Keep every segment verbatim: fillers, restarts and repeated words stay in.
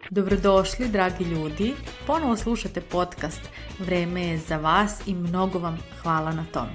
Dobrodošli, dragi ljudi. Ponovo slušate podcast Vreme je za vas i mnogo vam hvala na tom.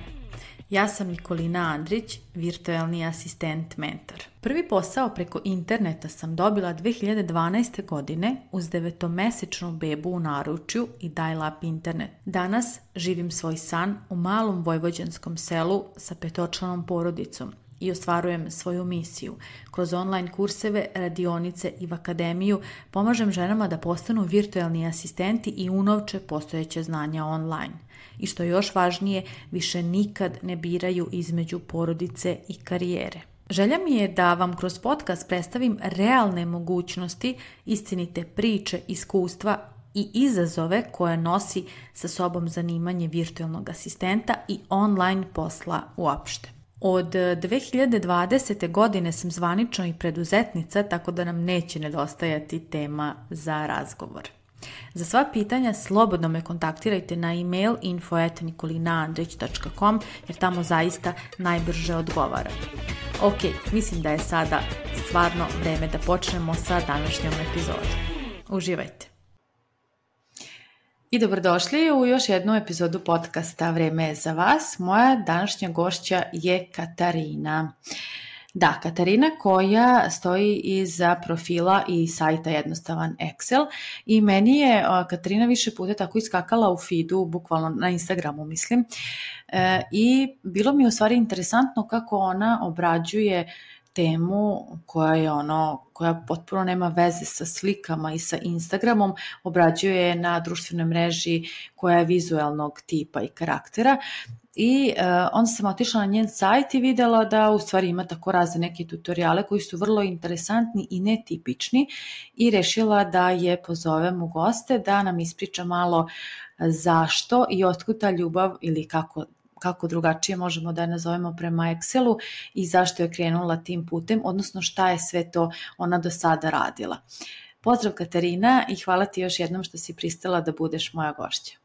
Ja sam Nikolina Andrić, virtualni asistent mentor. Prvi posao preko interneta sam dobila dve hiljade dvanaeste. godine uz devetomesečnu bebu u naručju i dial-up internet. Danas živim svoj san u malom vojvođanskom selu sa petočlanom porodicom i ostvarujem svoju misiju. Kroz online kurseve, radionice i v akademiju pomažem ženama da postanu virtualni asistenti i unovče postojeće znanja online. I što je još važnije, više nikad ne biraju između porodice i karijere. Želja mi je da vam kroz podcast predstavim realne mogućnosti, istinite priče, iskustva i izazove koje nosi sa sobom zanimanje virtualnog asistenta i online posla uopšte. Od dve hiljade dvadesete. godine sam zvanično i preduzetnica, tako da nam neće nedostajati tema za razgovor. Za sva pitanja slobodno me kontaktirajte na e-mail info at nikolinaandrić dot com jer tamo zaista najbrže odgovaram. Ok, mislim da je sada stvarno vreme da počnemo sa današnjom epizodom. Uživajte! I dobrodošli u još jednu epizodu podcasta Vreme je za vas. Moja današnja gošća je Katarina. Da, Katarina koja stoji iza profila i sajta Jednostavan Excel i meni je Katarina više puta tako iskakala u feedu, bukvalno na Instagramu mislim, e, i bilo mi je u stvari interesantno kako ona obrađuje temu koja je ono, koja potpuno nema veze sa slikama i sa Instagramom, obrađuje je na društvenoj mreži koja je vizualnog tipa i karaktera. I uh, onda sam otišla na njen sajt i videla da u stvari ima tako razne neke tutoriale koji su vrlo interesantni i netipični i rešila da je pozovem u goste da nam ispriča malo zašto i otkud ta ljubav ili kako kako drugačije možemo da je nazovemo prema Excelu i zašto je krenula tim putem, odnosno šta je sve to ona do sada radila. Pozdrav Katarina i hvala ti još jednom što si pristala da budeš moja gošća.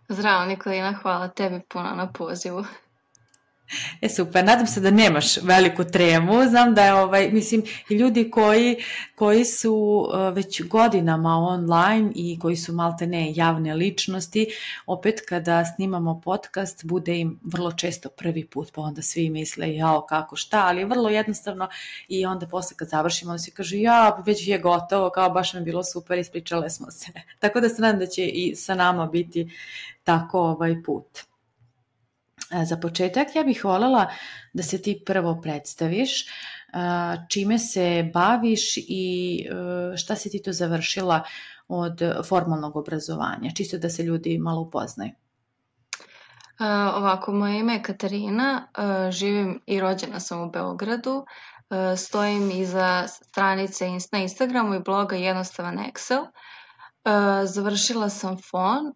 Zdravo Nikolina, hvala tebi puno na pozivu. E super, nadam se da nemaš veliku tremu, znam da je ovaj, mislim, i ljudi koji, koji su uh, već godinama online i koji su malte ne javne ličnosti, opet kada snimamo podcast bude im vrlo često prvi put, pa onda svi misle jao kako šta, ali je vrlo jednostavno i onda posle kad završimo onda se kaže ja već je gotovo, kao baš mi bilo super, ispričale smo se. Tako da se nadam da će i sa nama biti tako ovaj put. Za početak ja bih voljela da se ti prvo predstaviš, čime se baviš i šta si ti to završila od formalnog obrazovanja, čisto da se ljudi malo upoznaju. Ovako, moje ime je Katarina, živim i rođena sam u Beogradu, stojim iza stranice na Instagramu i bloga Jednostavan Excel, završila sam F O N,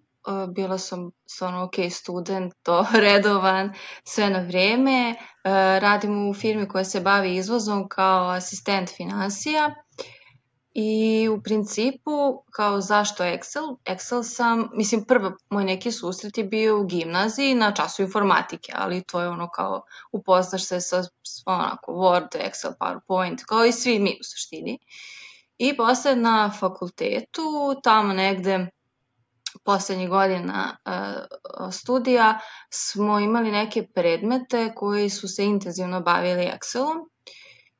bila sam stvarno ok student, to redovan, sve na vrijeme. Radim u firmi koja se bavi izvozom kao asistent finansija i u principu kao zašto Excel? Excel sam, mislim prvo moj neki susret je bio u gimnaziji na času informatike, ali to je ono kao upoznaš se sa onako Word, Excel, PowerPoint, kao i svi mi u suštini. I posle na fakultetu, tamo negde poslednjih godina uh, studija smo imali neke predmete koji su se intenzivno bavili Excelom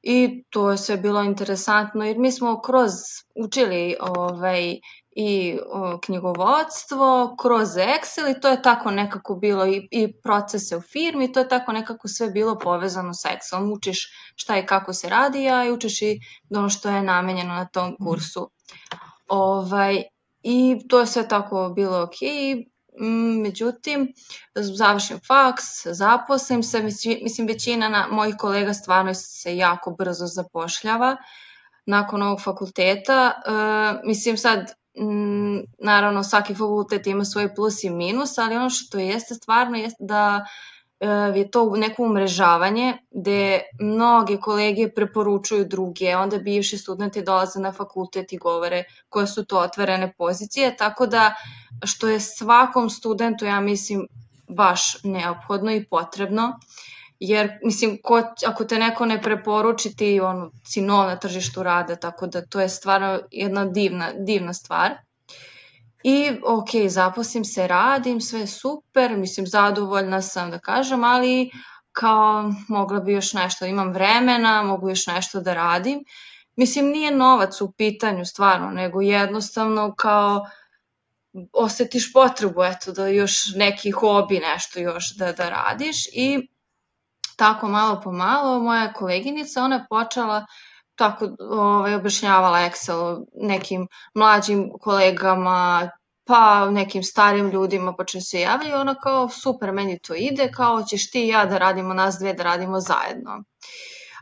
i to je sve bilo interesantno jer mi smo kroz učili ovaj, i o, knjigovodstvo, kroz Excel i to je tako nekako bilo i, i procese u firmi, to je tako nekako sve bilo povezano sa Excelom. Učiš šta i kako se radi, a i učiš i ono što je namenjeno na tom kursu. Ovaj, I to je sve tako bilo ok, međutim, završim faks, zaposlim se, mislim većina na, mojih kolega stvarno se jako brzo zapošljava nakon ovog fakulteta. E, mislim sad, m, naravno svaki fakultet ima svoj plus i minus, ali ono što jeste stvarno jeste da je to neko umrežavanje gde mnoge kolege preporučuju druge, onda bivši studenti dolaze na fakultet i govore koje su to otvorene pozicije, tako da što je svakom studentu, ja mislim, baš neophodno i potrebno, jer mislim ko, ako te neko ne preporuči ti ono, si nov na tržištu rada, tako da to je stvarno jedna divna, divna stvar. I ok, zaposlim se, radim, sve je super, mislim zadovoljna sam da kažem, ali kao mogla bi još nešto, imam vremena, mogu još nešto da radim. Mislim nije novac u pitanju stvarno, nego jednostavno kao osjetiš potrebu eto da još neki hobi nešto još da, da radiš i tako malo po malo moja koleginica, ona je počela tako ovaj, objašnjavala Excel nekim mlađim kolegama, pa nekim starim ljudima počeo se javljati i ona kao super, meni to ide, kao ćeš ti i ja da radimo, nas dve da radimo zajedno.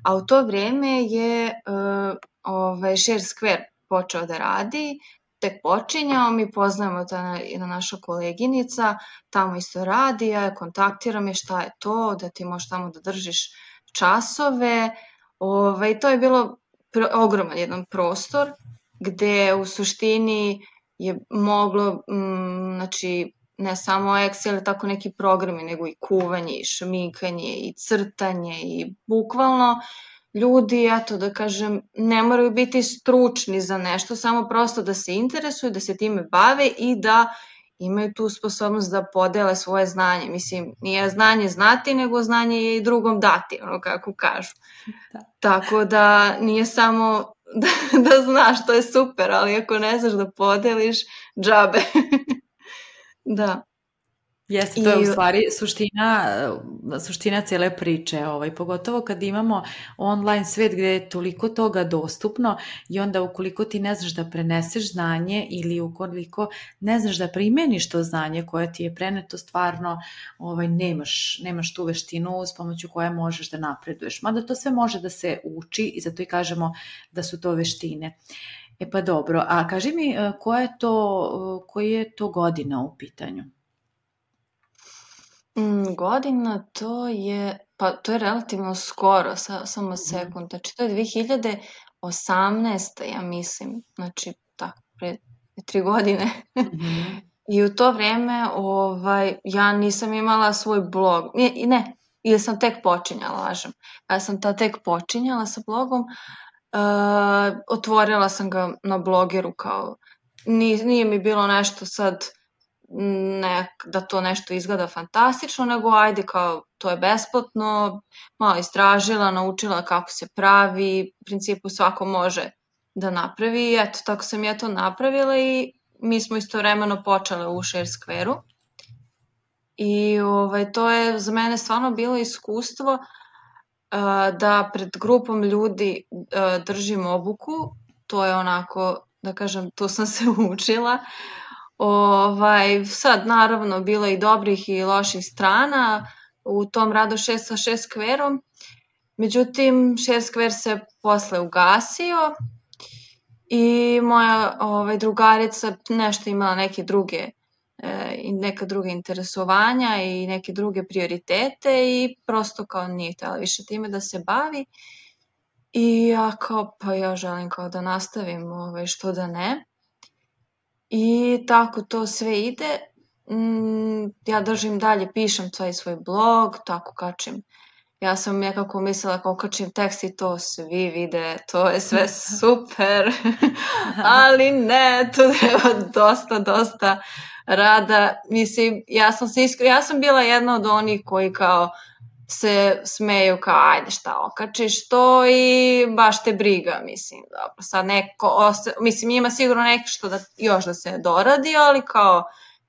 A u to vrijeme je uh, ovaj, ShareSquare počeo da radi, tek počinjao, mi poznajemo ta jedna naša koleginica, tamo isto radi, ja kontaktiram je šta je to, da ti možeš tamo da držiš časove. Ovaj, to je bilo pr- ogroman jedan prostor gde u suštini je moglo, m, znači, ne samo Excel, tako neki programi, nego i kuvanje, i šminkanje, i crtanje, i bukvalno ljudi, eto da kažem, ne moraju biti stručni za nešto, samo prosto da se interesuju, da se time bave i da imaju tu sposobnost da podele svoje znanje. Mislim, nije znanje znati, nego znanje je i drugom dati, ono kako kažu. Da. Tako da nije samo da, da znaš, to je super, ali ako ne znaš da podeliš, džabe. Da. Jeste, to je u stvari suština, suština cijele priče, ovaj, pogotovo kad imamo online svet gdje je toliko toga dostupno i onda ukoliko ti ne znaš da preneseš znanje ili ukoliko ne znaš da primjeniš to znanje koje ti je preneto, stvarno ovaj, nemaš, nemaš tu veštinu s pomoću koje možeš da napreduješ. Mada to sve može da se uči i zato i kažemo da su to veštine. E pa dobro, a kaži mi koja je to, koji je to godina u pitanju? Mm, godina to je, pa to je relativno skoro, sa, samo sekund, znači to je dve hiljade osamnaeste. ja mislim, znači tako, pre tri godine. Mm-hmm. I u to vrijeme ovaj, ja nisam imala svoj blog, ne, ne ili sam tek počinjala, lažem, ja sam ta tek počinjala sa blogom, uh, otvorila sam ga na blogeru kao, nije, nije mi bilo nešto sad, ne, da to nešto izgleda fantastično, nego ajde kao to je besplatno, malo istražila, naučila kako se pravi, u principu svako može da napravi i eto, tako sam ja to napravila i mi smo istovremeno počele u ShareSquare-u i ovaj, to je za mene stvarno bilo iskustvo uh, da pred grupom ljudi uh, držim obuku, to je onako, da kažem, tu sam se učila. Ovaj, sad naravno bilo i dobrih i loših strana u tom radu šest sa ShareSquare-om, međutim ShareSquare se posle ugasio i moja ovaj, drugarica nešto imala neke druge e, neka druga interesovanja i neke druge prioritete i prosto kao nije htjela više time da se bavi i ja kao pa ja želim kao da nastavim ovaj, što da ne. I tako to sve ide, mm, ja držim dalje, pišem taj svoj blog, tako kačim. Ja sam nekako mislila kao kačim tekst i to svi vide, to je sve super, ali ne, to treba dosta, dosta rada. Mislim, ja sam, se iskri... ja sam bila jedna od onih koji kao se smeju kao ajde šta okačiš to i baš te briga, mislim, dobro, sad neko, osta... mislim ima sigurno neko što da, još da se doradi, ali kao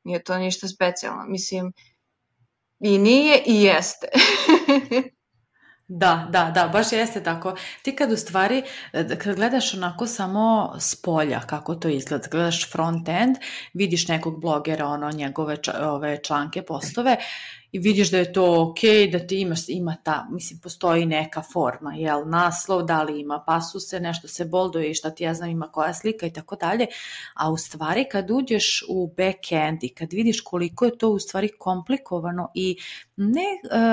nije to ništa specijalno, mislim i nije i jeste. Da, da, da, baš jeste tako. Ti kad u stvari, kad gledaš onako samo s polja kako to izgleda, gledaš front end, vidiš nekog blogera, ono, njegove ove članke, postove i vidiš da je to ok, da ti imaš, ima ta, mislim, postoji neka forma, jel, naslov, da li ima pasuse, nešto se bolduje i šta ti ja znam ima koja slika i tako dalje, a u stvari kad uđeš u backend i kad vidiš koliko je to u stvari komplikovano i ne,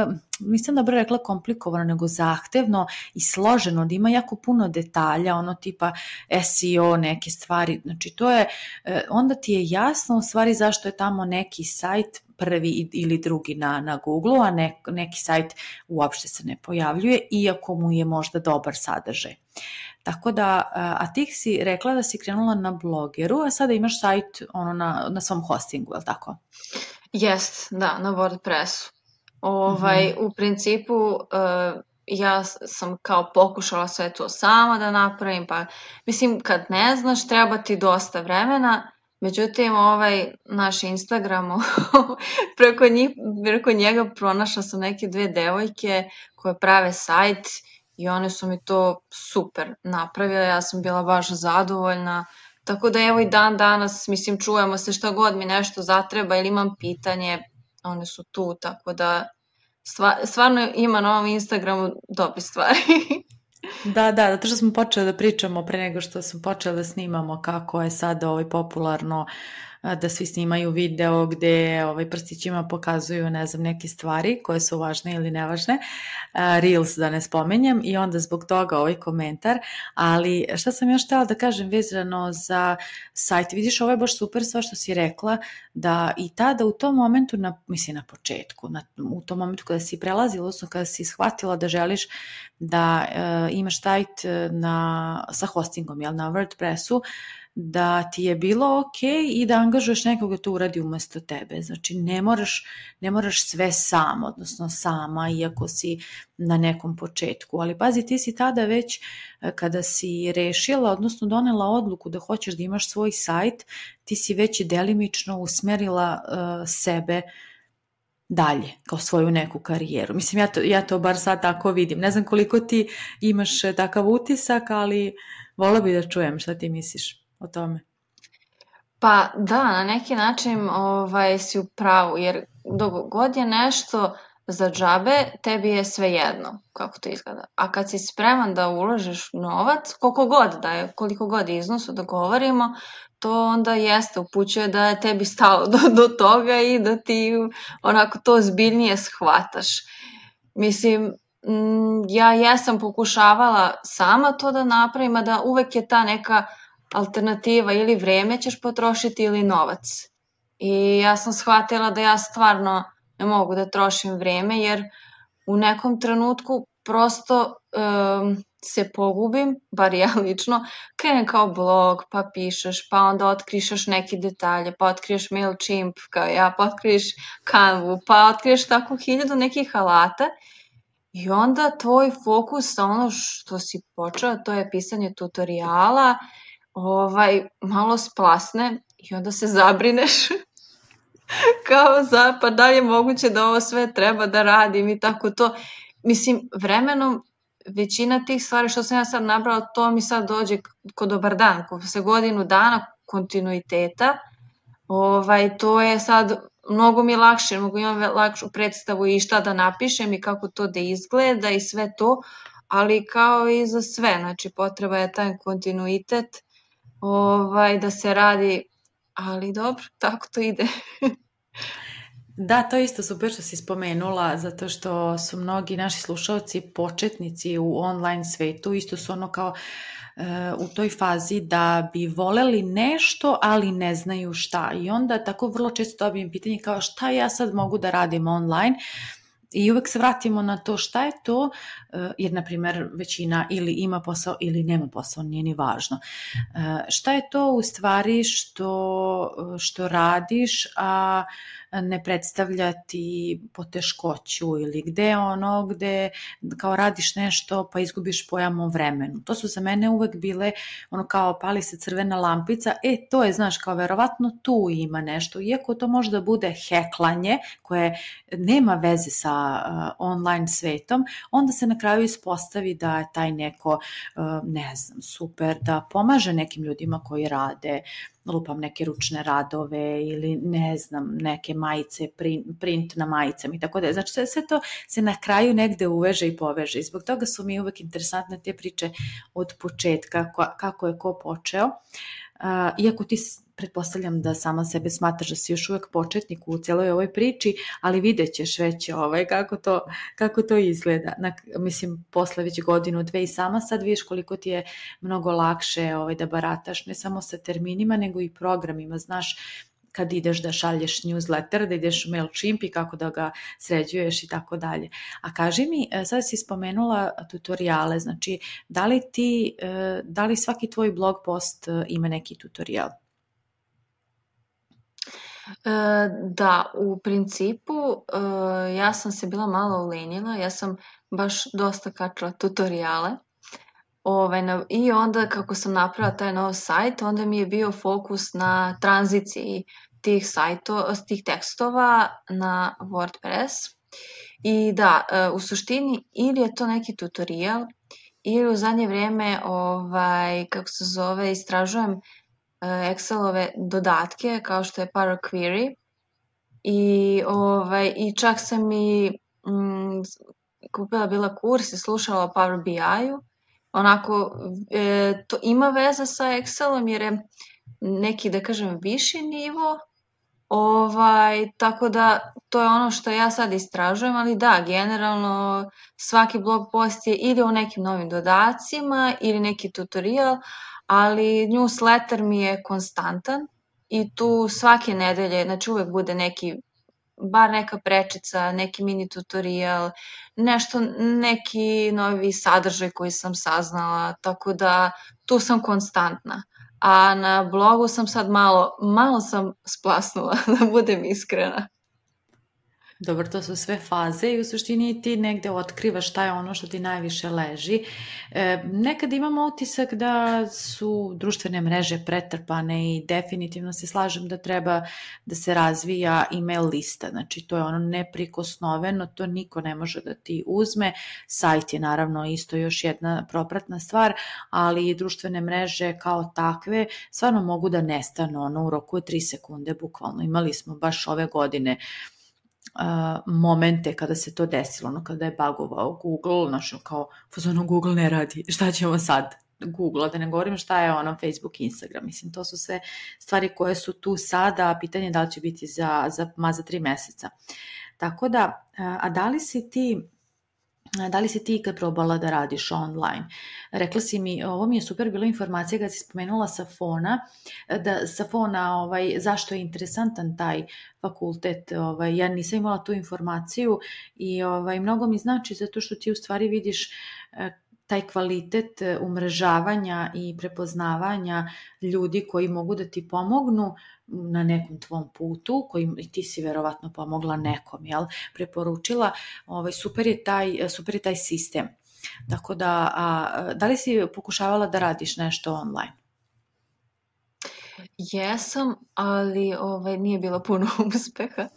uh, nisam dobro rekla komplikovano, nego zahtevno i složeno, da ima jako puno detalja, ono tipa S E O, neke stvari, znači to je, uh, onda ti je jasno u stvari zašto je tamo neki sajt prvi ili drugi na, na Google-u, a nek, neki sajt uopšte se ne pojavljuje, iako mu je možda dobar sadržaj. Tako da, a ti si rekla da si krenula na Blogeru, a sada imaš sajt ono na, na svom hostingu, je li tako? Jest, da, na WordPressu. Ovaj, mm-hmm. U principu uh, ja sam kao pokušala sve to sama da napravim, pa mislim kad ne znaš treba ti dosta vremena, međutim ovaj naš Instagram preko, njih, preko njega pronašla sam neke dve devojke koje prave sajt i one su mi to super napravile, ja sam bila baš zadovoljna. Tako da evo i dan danas, mislim, čujemo se šta god mi nešto zatreba ili imam pitanje, one su tu, tako da stva, stvarno ima na ovom Instagramu dobre stvari. Da, da, zato što smo počeli da pričamo pre nego što smo počeli da snimamo kako je sad ovaj popularno da svi snimaju video gde ovaj, prstićima pokazuju, ne znam, neke stvari koje su važne ili nevažne, Reels da ne spomenjem, i onda zbog toga ovaj komentar, ali šta sam još htjela da kažem vezano za sajt, vidiš, ovo je baš super sva što si rekla, da i tada u tom momentu, na, mislim na početku, na, u tom momentu kada si prelazila, odnosno kada si shvatila da želiš da uh, imaš sajt na, sa hostingom, jel, na WordPressu, da ti je bilo ok i da angažuješ nekoga to uradi umesto tebe. Znači ne moraš, ne moraš sve sam, odnosno sama, iako si na nekom početku. Ali pazi, ti si tada već kada si rešila, odnosno donela odluku da hoćeš da imaš svoj sajt, ti si već delimično usmerila uh, sebe dalje, kao svoju neku karijeru. Mislim, ja to, ja to bar sad tako vidim. Ne znam koliko ti imaš takav utisak, ali vola bi da čujem šta ti misliš o tome. Pa da, na neki način ovaj, si u pravu, jer dok god je nešto za džabe, tebi je sve jedno kako to izgleda. A kad si spreman da uložiš novac, koliko god da je, koliko god iznosu da govorimo, to onda jeste, upućuje da je tebi stalo do, do toga i da ti onako to zbiljnije shvataš. Mislim, ja jesam pokušavala sama to da napravim, a da uvek je ta neka alternativa, ili vreme ćeš potrošiti ili novac. I ja sam shvatila da ja stvarno ne mogu da trošim vreme, jer u nekom trenutku prosto um, se pogubim, bar ja lično, krenem kao blog, pa pišeš, pa onda otkrišeš neke detalje, pa otkriješ MailChimp kao ja, pa otkriješ Canvu, pa otkriješ tako hiljadu nekih alata i onda tvoj fokus na ono što si počeo, to je pisanje tutoriala, ovaj, malo splasne i onda se zabrineš kao za, pa da li je moguće da ovo sve treba da radim i tako to. Mislim, vremenom većina tih stvari što sam ja sad nabrala, to mi sad dođe ko dobar dan, ko se godinu dana kontinuiteta, ovaj, to je sad mnogo mi lakše, mogu imam lakšu predstavu i šta da napišem i kako to da izgleda i sve to, ali kao i za sve, znači potreba je taj kontinuitet, ovaj, da se radi, ali dobro, tako to ide. Da, to je isto super što si spomenula, zato što su mnogi naši slušalci početnici u online svetu, isto su ono kao uh, u toj fazi da bi voleli nešto, ali ne znaju šta. I onda tako vrlo često dobijem pitanje kao šta ja sad mogu da radim online, i uvek se vratimo na to šta je to, jer na primjer većina ili ima posao ili nema posao, nije ni važno. Šta je to u stvari što, što radiš, a ne predstavlja ti poteškoću, ili gde ono, gde kao radiš nešto pa izgubiš pojam o vremenu. To su za mene uvek bile ono kao pali se crvena lampica, e to je, znaš, kao verovatno tu ima nešto, iako to možda bude heklanje koje nema veze sa uh, online svetom, onda se na kraju ispostavi da je taj neko, uh, ne znam, super, da pomaže nekim ljudima koji rade, lupam neke ručne radove ili ne znam, neke majice, print, print na majicama i tako da. Znači sve, sve to se na kraju negde uveže i poveže i zbog toga su mi uvek interesantne te priče od početka, kako je ko počeo. Uh, iako ti pretpostavljam da sama sebe smatraš da si još uvek početnik u cijeloj ovoj priči, ali vidjet ćeš već ovaj, kako, to, kako to izgleda. Na, mislim, posle već godinu, dve i sama sad vidiš koliko ti je mnogo lakše ovaj, da barataš ne samo sa terminima, nego i programima. Znaš kad ideš da šalješ newsletter, da ideš u MailChimp i kako da ga sređuješ i tako dalje. A kaži mi, sad si spomenula tutoriale, znači da li ti, da li svaki tvoj blog post ima neki tutorial? Da, u principu ja sam se bila malo ulenila, ja sam baš dosta kačila tutoriale. Ove, na, I onda kako sam napravila taj nov sajt, onda mi je bio fokus na tranziciji tih, sajto, tih tekstova na WordPress. I da, u suštini ili je to neki tutorial, ili u zadnje vrijeme, ovaj, kako se zove, istražujem Excelove dodatke kao što je Power Query i, ovaj, i čak sam i mm, kupila bila kurs i slušala o Power B I-u. Onako, e, to ima veze sa Excelom jer je neki, da kažem, viši nivo, ovaj, tako da to je ono što ja sad istražujem, ali da, generalno svaki blog post je ili o nekim novim dodacima ili neki tutorial, ali newsletter mi je konstantan i tu svake nedelje, znači uvek bude neki, bar neka prečica, neki mini tutorial, nešto, neki novi sadržaj koji sam saznala, tako da tu sam konstantna. A na blogu sam sad malo, malo sam splasnula, da budem iskrena. Dobro, to su sve faze i u suštini ti negde otkrivaš šta je ono što ti najviše leži. E, nekad imamo utisak da su društvene mreže pretrpane i definitivno se slažem da treba da se razvija email lista. Znači to je ono neprikosnoveno, to niko ne može da ti uzme. Sajt je naravno isto još jedna propratna stvar, ali i društvene mreže kao takve stvarno mogu da nestanu ono, u roku od tri sekunde bukvalno. Imali smo baš ove godine Uh, momente kada se to desilo, ono kada je bugovao Google, znači kao ono Google ne radi, šta ćemo sad? Google, da ne govorim šta je ono Facebook, Instagram, mislim to su sve stvari koje su tu sada, a pitanje je da li će biti za, za, ma za tri meseca. Tako da, a da li si ti Da li si ti ikad probala da radiš online? Rekla si mi, ovo mi je super bila informacija kad si spomenula Safona, da Safona, ovaj, zašto je interesantan taj fakultet, ovaj, ja nisam imala tu informaciju i ovaj, mnogo mi znači zato što ti u stvari vidiš taj kvalitet umrežavanja i prepoznavanja ljudi koji mogu da ti pomognu na nekom tvom putu, kojim i ti si verovatno pomogla nekom, jel? Preporučila, ovaj, super je taj, super je taj sistem. Tako da, a, da li si pokušavala da radiš nešto online? Jesam, ali ovaj, nije bilo puno uspeha,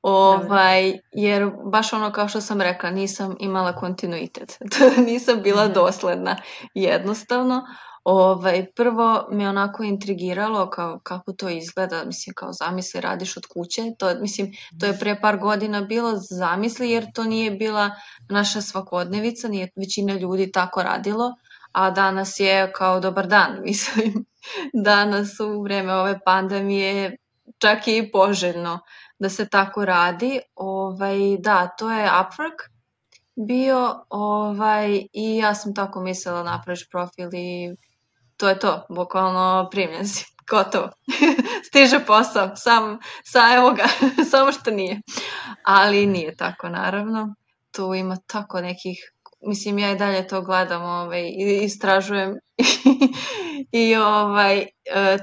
ovaj, jer baš ono kao što sam rekla, nisam imala kontinuitet, nisam bila dosledna jednostavno. Ovaj, prvo me onako intrigiralo kao, kako to izgleda, mislim kao zamisli radiš od kuće, to, mislim, to je pre par godina bilo zamisli jer to nije bila naša svakodnevica, nije većina ljudi tako radilo, a danas je kao dobar dan, mislim. Danas u vreme ove pandemije čak i poželjno da se tako radi. Ovaj, da, to je Upwork bio ovaj, i ja sam tako mislila napraviš profil i to je to, bukvalno primljen si, gotovo. Stiže posao, sam, sa, evo ga, samo što nije. Ali nije tako naravno, tu ima tako nekih, mislim ja i dalje to gledam ovaj, i istražujem i ovaj, e,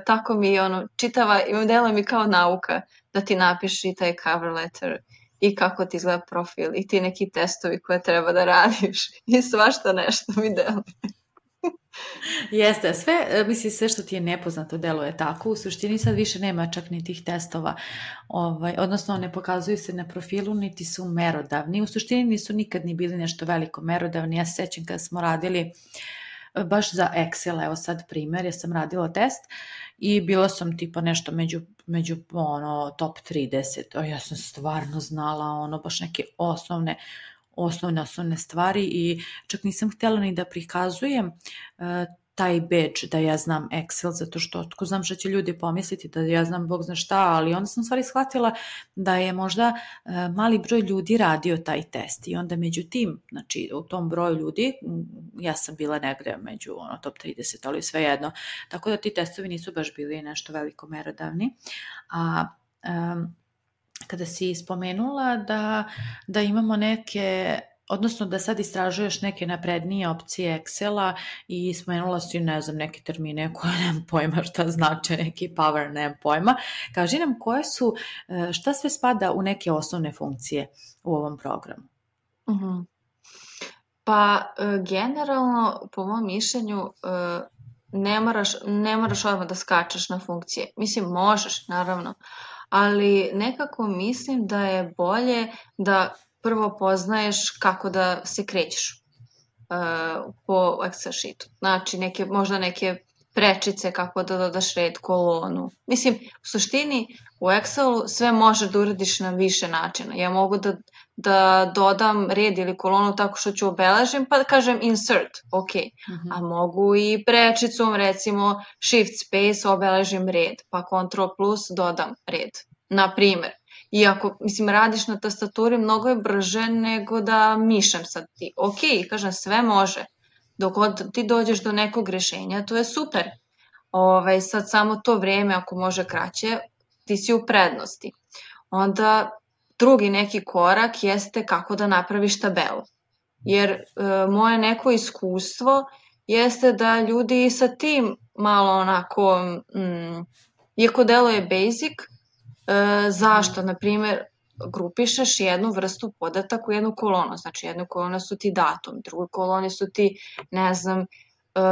tako mi ono, čitava, delo mi kao nauka da ti napiši taj cover letter i kako ti izgleda profil i ti neki testovi koje treba da radiš i svašta nešto mi deluje. Jeste, sve, misli, sve što ti je nepoznato deluje tako, u suštini sad više nema čak ni tih testova, ovaj, odnosno ne pokazuju se na profilu, niti su merodavni, u suštini nisu nikad ni bili nešto veliko merodavni, ja se sećam kada smo radili baš za Excel, evo sad primjer, ja sam radila test i bila sam tipa nešto među, među ono, top trideset, o, ja sam stvarno znala ono, baš neke osnovne osnovne osnovne stvari i čak nisam htjela ni da prikazujem uh, taj badge da ja znam Excel, zato što otko znam što će ljudi pomisliti da ja znam Bog zna šta, ali onda sam stvari shvatila da je možda uh, mali broj ljudi radio taj test i onda među tim, znači u tom broju ljudi, ja sam bila negde među ono, top trideset, ali svejedno, tako da ti testovi nisu baš bili nešto veliko merodavni, a um, kada si spomenula da, da imamo neke, odnosno da sad istražuješ neke naprednije opcije Excela i spomenula si, ne znam, neke termine koje nemam pojma šta znače, neki power, nemam pojma. Kaži nam koje su, šta sve spada u neke osnovne funkcije u ovom programu? Uh-huh. Pa generalno, po mom mišljenju, ne moraš, ne moraš odmah da skačeš na funkcije. Mislim, možeš, naravno, ali nekako mislim da je bolje da prvo poznaješ kako da se krećeš uh, po Excel sheetu. Znači, neke, možda neke prečice kako da dodaš red, kolonu. Mislim, u suštini u Excelu sve možeš da uradiš na više načina. Ja mogu da, da dodam red ili kolonu tako što ću obeležim pa da kažem insert, ok. Mm-hmm. A mogu i prečicom recimo shift space obeležim red pa control plus dodam red. Na primjer. Iako, mislim, radiš na tastaturi mnogo je brže nego da mišem sad ti. Ok, kažem, sve može. Dok ti dođeš do nekog rešenja, to je super. Ove, sad samo to vreme, ako može kraće, ti si u prednosti. Onda drugi neki korak jeste kako da napraviš tabelu. Jer e, moje neko iskustvo jeste da ljudi sa tim malo onako, mm, iako deluje basic, e, zašto? Naprimjer, grupišeš jednu vrstu podataka u jednu kolonu. Znači, jednu kolonu su ti datum, drugu koloni su ti, ne znam,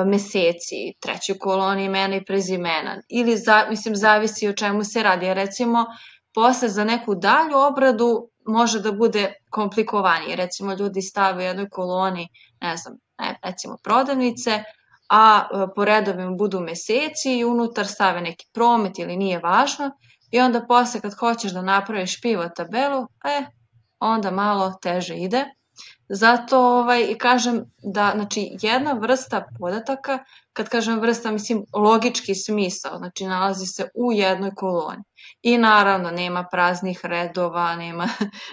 meseci, trećoj koloni imena i prezimena. Ili, za, mislim, zavisi o čemu se radi. Recimo, posle za neku dalju obradu može da bude komplikovanije. Recimo, ljudi stave u jednoj koloni, ne znam, ne, recimo prodavnice, a po redovima budu meseci i unutar stave neki promet ili nije važno. I onda posle kad hoćeš da napraviš pivot tabelu, e, onda malo teže ide. Zato ovaj, kažem da znači, jedna vrsta podataka, kad kažem vrsta, mislim logički smisao, znači nalazi se u jednoj koloni. I naravno nema praznih redova, nema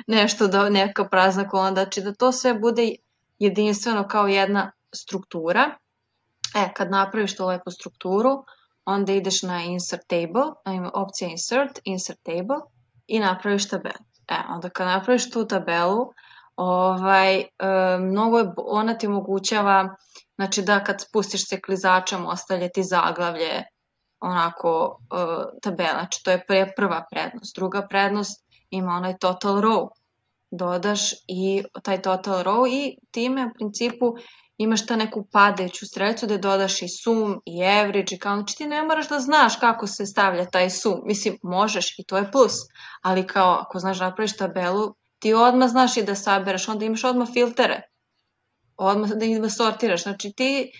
nešto da neka prazna kolona, znači da to sve bude jedinstveno kao jedna struktura. E, kad napraviš tu lepu strukturu, onda ideš na insert table, opcija insert, insert table i napraviš tabelu. E, onda kad napraviš tu tabelu, ovaj, e, mnogo je, ona ti omogućava, znači da kad spustiš se klizačem ostavlja ti zaglavlje onako e, tabela, znači to je prva prednost. Druga prednost ima onaj total row, dodaš i taj total row i time u principu imaš ta neku padajuću strelicu gde dodaš i sum i average i kao, znači ti ne moraš da znaš kako se stavlja taj sum, mislim možeš i to je plus, ali kao ako znaš da napraviš tabelu, ti odmah znaš i da sabereš, onda imaš odmah filtere, odmah da ih da sortiraš, znači ti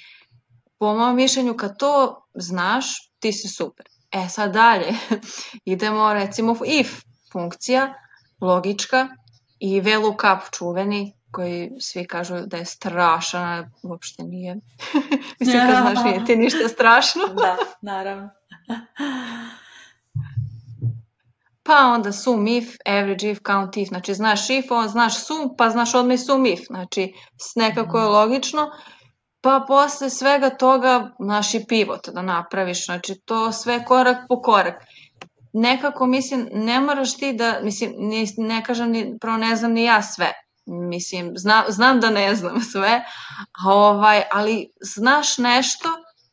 po mojom mišljenju kad to znaš, ti si super. E sad dalje, idemo recimo if funkcija, logička i VLOOKUP čuveni, koji svi kažu da je strašan, uopšte nije. Mislim, kad znaš, nije ti ništa strašno. Da, naravno. Pa onda sum if, average if, count if. Znači, znaš if, on znaš sum, pa znaš odmah i sum if. Znači, nekako je logično. Pa posle svega toga, znaš i pivot da napraviš. Znači, to sve korak po korak. Nekako, mislim, ne moraš ti da, mislim, ne, ne kažem, ni, prvo ne znam ni ja sve. Mislim, zna, znam da ne znam sve, ovaj, ali znaš nešto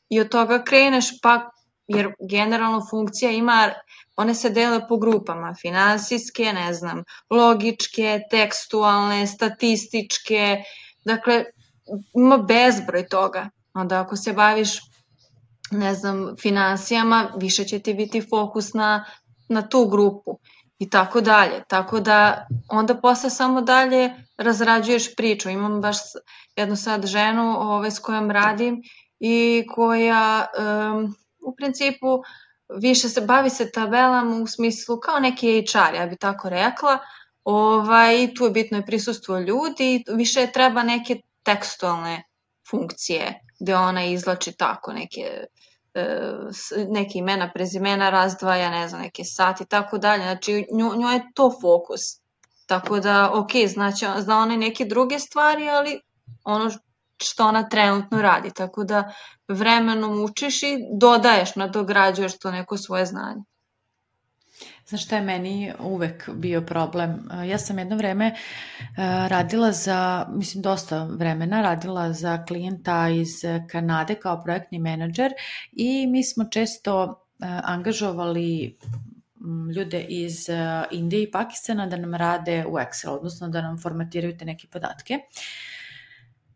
i od toga kreneš, pa, jer generalno funkcija ima, one se dele po grupama, finansijske, ne znam, logičke, tekstualne, statističke, dakle, ima bezbroj toga. Onda ako se baviš, ne znam, finansijama, više će ti biti fokus na, na tu grupu. I tako dalje, tako da onda posle samo dalje razrađuješ priču. Imam baš jednu sad ženu ovaj, s kojom radim i koja um, u principu više se bavi se tabelama u smislu kao neki H R, ja bi tako rekla. Ovaj, tu je bitno je prisustvo ljudi, više treba neke tekstualne funkcije gde ona izlači tako neke, neke imena, prezimena razdvaja, ne znam, neke sati, tako dalje. Znači, nju, njoj je to fokus. Tako da, ok, znači, zna ona neke druge stvari, ali ono što ona trenutno radi. Tako da vremenom učiš i dodaješ, nadograđuješ to neko svoje znanje. Znaš šta je meni uvek bio problem? Ja sam jedno vreme radila za, mislim dosta vremena, radila za klijenta iz Kanade kao projektni menadžer i mi smo često angažovali ljude iz Indije i Pakistana da nam rade u Excel, odnosno da nam formatiraju te neke podatke.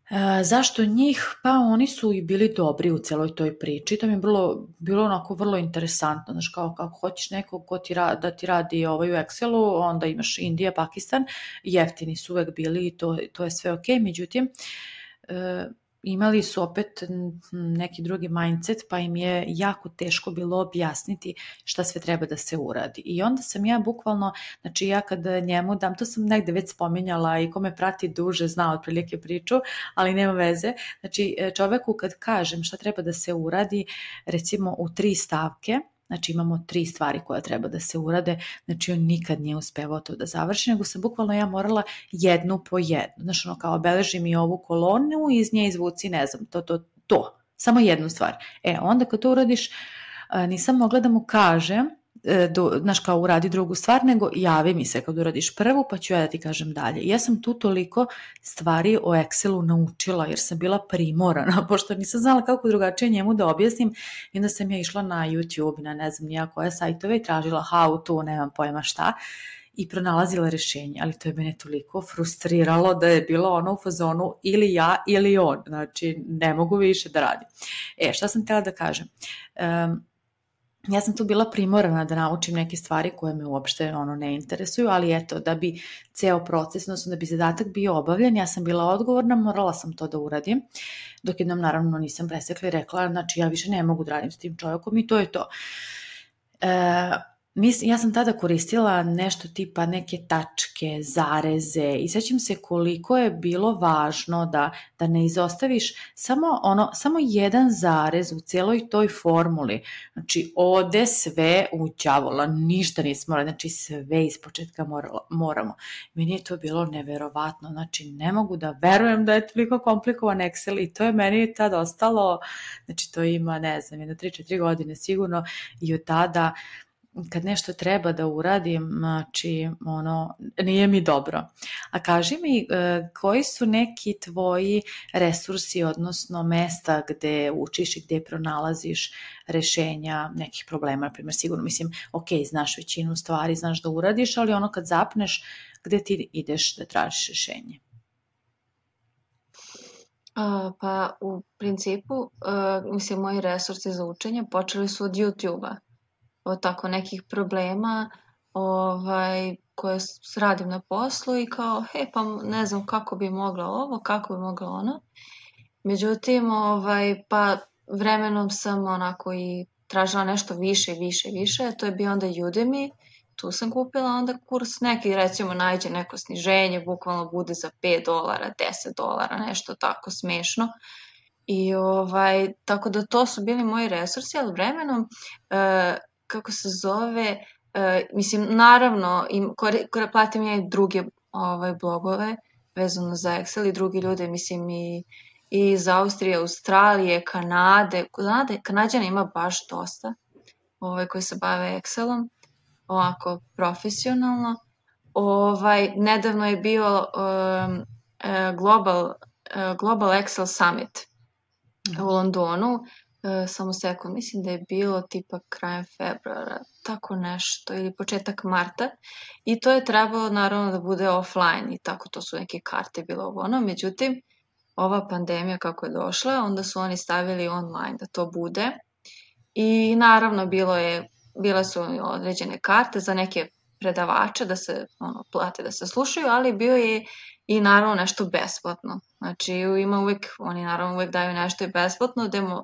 E, zašto njih? Pa oni su i bili dobri u celoj toj priči. To mi je bilo, bilo onako vrlo interesantno. Znaš, kao kako hoćeš nekog ko ti ra, da ti radi ovaj u Excelu, onda imaš Indija, Pakistan, jeftini su uvek bili i to, to je sve ok. Međutim, e, imali su opet neki drugi mindset, pa im je jako teško bilo objasniti šta sve treba da se uradi. I onda sam ja bukvalno, znači ja kad njemu dam, to sam negde već spominjala i ko me prati duže zna otprilike priču, ali nema veze. Znači čoveku kad kažem šta treba da se uradi, recimo u tri stavke, znači imamo tri stvari koje treba da se urade, znači on nikad nije uspevao to da završi, nego sam bukvalno ja morala jednu po jednu, znači ono kao obeleži mi ovu kolonu i iz nje izvuci, ne znam, to, to, to, samo jednu stvar. E, onda kad to uradiš, nisam mogla da mu kažem, do, znaš kao uradi drugu stvar, nego javi mi se kad uradiš prvu, pa ću ja da ti kažem dalje. I ja sam tu toliko stvari o Excelu naučila, jer sam bila primorana, pošto nisam znala kako drugačije njemu da objasnim, i onda sam ja išla na YouTube, na ne znam nija koje sajtove i tražila how to, nemam pojma šta, i pronalazila rešenje, ali to je mene toliko frustriralo da je bilo ono u fazonu ili ja ili on, znači ne mogu više da radim. E, šta sam htjela da kažem? Um, Ja sam tu bila primorana da naučim neke stvari koje me uopšte ono ne interesuju, ali eto, da bi ceo proces, odnosno da bi zadatak bio obavljen, ja sam bila odgovorna, morala sam to da uradim, dok jednom naravno nisam presekla i rekla, znači ja više ne mogu da radim s tim čovjekom i to je to. E, Mislim, ja sam tada koristila nešto tipa neke tačke, zareze i sećam se koliko je bilo važno da, da ne izostaviš samo, ono, samo jedan zarez u celoj toj formuli. Znači, ode sve u đavola, ništa nismo radili, znači sve iz početka morala, moramo. Meni je to bilo neverovatno, znači ne mogu da verujem da je toliko komplikovan Excel i to je meni tad ostalo, znači to ima, ne znam, jedno tri četiri godine sigurno i od tada kad nešto treba da uradim, znači, ono, nije mi dobro. A kaži mi, koji su neki tvoji resursi, odnosno mesta gde učiš i gde pronalaziš rešenja nekih problema, na primjer, sigurno, mislim, ok, znaš većinu stvari, znaš da uradiš, ali ono kad zapneš, gde ti ideš da tražiš rešenje? Uh, pa, u principu, uh, mislim, moji resursi za učenje počeli su od YouTube-a. Od tako nekih problema ovaj, koje radim na poslu i kao, he, pa ne znam kako bi mogla ovo, kako bi mogla ono. Međutim, ovaj, pa vremenom sam onako i tražila nešto više, više, više. To je bio onda Udemy. Tu sam kupila onda kurs neki, recimo, nađe neko sniženje, bukvalno bude za pet dolara, deset dolara, nešto tako smešno. I ovaj, tako da to su bili moji resursi, ali vremenom uh, kako se zove, uh, mislim, naravno, im, kore, kore, platim ja i druge ovaj, blogove vezano za Excel i drugi ljude, mislim, i, i iz Austrije, Australije, Kanade. Kanade, Kanadjana ima baš dosta ovaj, koji se bave Excelom, ovako profesionalno. Ovaj, nedavno je bio um, uh, Global, uh, Global Excel Summit u Londonu. Uh, samo sekund, mislim da je bilo tipa krajem februara, tako nešto, ili početak marta, i to je trebalo naravno da bude offline i tako, to su neke karte bilo ono, međutim, ova pandemija kako je došla, onda su oni stavili online da to bude i naravno bilo je, bile su određene karte za neke predavače da se ono, plate da se slušaju, ali bio je i naravno nešto besplatno, znači ima uvek, oni naravno uvek daju nešto i besplatno, da mo,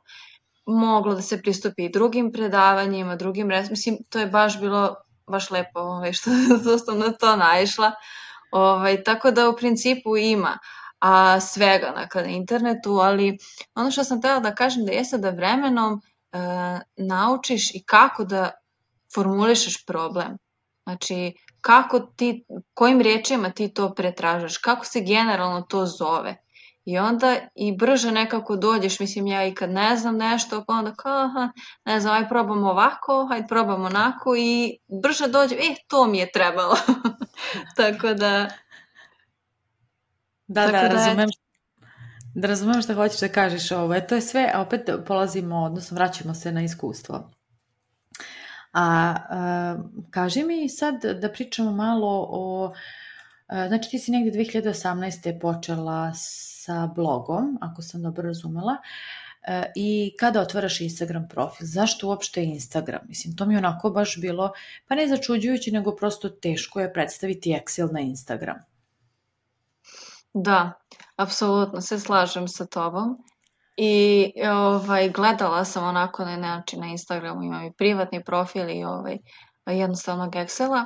moglo da se pristupi i drugim predavanjima, drugim, mislim, to je baš bilo baš lepo ovaj, što, što sam na to naišla. Ovaj, tako da u principu ima, a svega na internetu, ali ono što sam htjela da kažem da jeste da vremenom uh, naučiš i kako da formulišeš problem. Znači, kako ti, kojim riječima ti to pretražaš, kako se generalno to zove. I onda i brže nekako dođeš, mislim ja i kad ne znam nešto, pa onda kao, aha, ne znam, aj probamo ovako, aj probamo onako i brže dođem, e, to mi je trebalo. Tako da... Da, tako da, da, razumem, da razumem što hoćeš da kažeš ovo. To je sve, a opet polazimo, odnosno vraćamo se na iskustvo. A, a kaži mi sad da pričamo malo o... Znači ti si negdje dve hiljade osamnaeste. počela sa blogom, ako sam dobro razumela, i kada otvaraš Instagram profil, zašto uopšte Instagram? Mislim, to mi je onako baš bilo, pa ne začuđujući, nego prosto teško je predstaviti Excel na Instagram. Da, apsolutno se slažem sa tobom. I ovaj, gledala sam onako na način na Instagramu, imam i privatni profil i ovaj, jednostavnog Excela.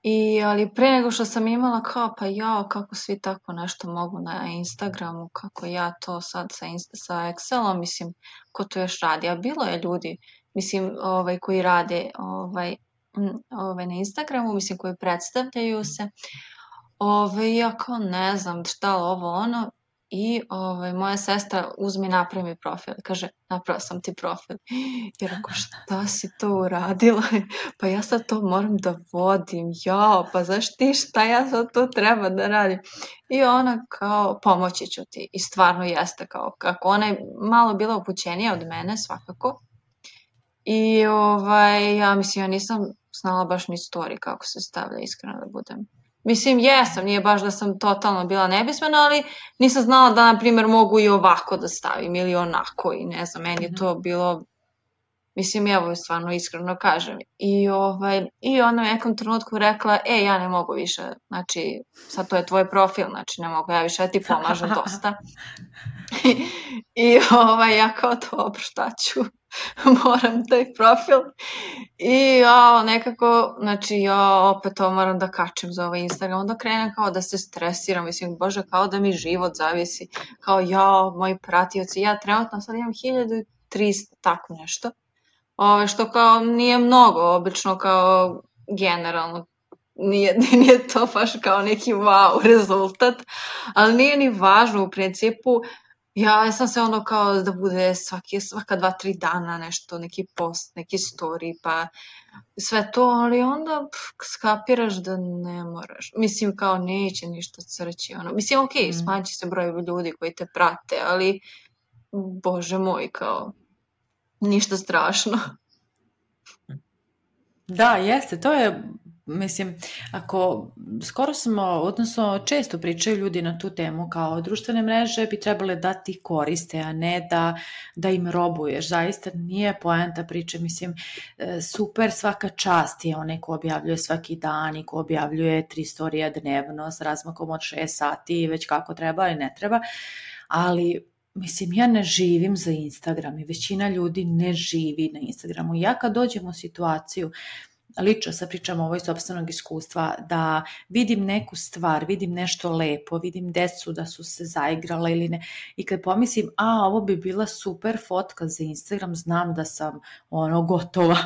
I, ali pre nego što sam imala kao, pa ja, kako svi tako nešto mogu na Instagramu, kako ja to sad sa, sa Excelom, mislim, ko to još radi. A bilo je ljudi, mislim, ovaj, koji rade ovaj, ovaj, na Instagramu, mislim, koji predstavljaju se. Ovaj, ja kao ne znam šta ovo ono. I ovaj, moja sestra uzmi napravi mi profil. Kaže, napravila sam ti profil. I rekao, šta si to uradila? Pa ja sad to moram da vodim. Jao, pa znaš ti šta ja sad to treba da radim? I ona kao, pomoći ću ti. I stvarno jeste kao, kako ona je malo bila upućenija od mene, svakako. I ovaj, ja mislim, ja nisam znala baš ni story kako se stavlja, iskreno da budem. Mislim, jesam, nije baš da sam totalno bila nepismena, ali nisam znala da, na primjer, mogu i ovako da stavim ili onako i ne znam, meni je to bilo, mislim, evo stvarno iskreno kažem. I, ovaj, i ona u nekom trenutku rekla, e, ja ne mogu više, znači, sad to je tvoj profil, znači ne mogu ja više da ti pomažem dosta. I ovaj, ja kao dobro, šta ću? Moram taj profil i ja nekako, znači ja opet to moram da kačem za ovaj Instagram, onda krenem kao da se stresiram, mislim, bože, kao da mi život zavisi, kao ja, moji pratioci, ja trenutno sad imam hiljadu trista, tako nešto, ove, što kao nije mnogo, obično kao generalno, nije, nije to baš kao neki wow rezultat, ali nije ni važno u principu. Ja sam se ono kao da bude svaki, svaka dva, tri dana nešto, neki post, neki story, pa sve to, ali onda pff, skapiraš da ne moraš. Mislim, kao neće ništa crći, ono. Mislim, ok, mm. smanji se broj ljudi koji te prate, ali bože moj, kao ništa strašno. Da, jeste, to je, mislim, ako skoro smo, odnosno često pričaju ljudi na tu temu, kao društvene mreže bi trebale da ti koriste, a ne da, da im robuješ. Zaista nije poenta priče, mislim, super, svaka čast je onaj ko objavljuje svaki dan i ko objavljuje tri storija dnevno s razmakom od šest sati, već kako treba i ne treba, ali mislim, ja ne živim za Instagram i većina ljudi ne živi na Instagramu. Ja kad dođem u situaciju, lično sad pričam ovo iz sopstvenog iskustva, da vidim neku stvar, vidim nešto lepo, vidim decu da su se zaigrala ili ne, i kad pomislim, a ovo bi bila super fotka za Instagram, znam da sam ono gotova,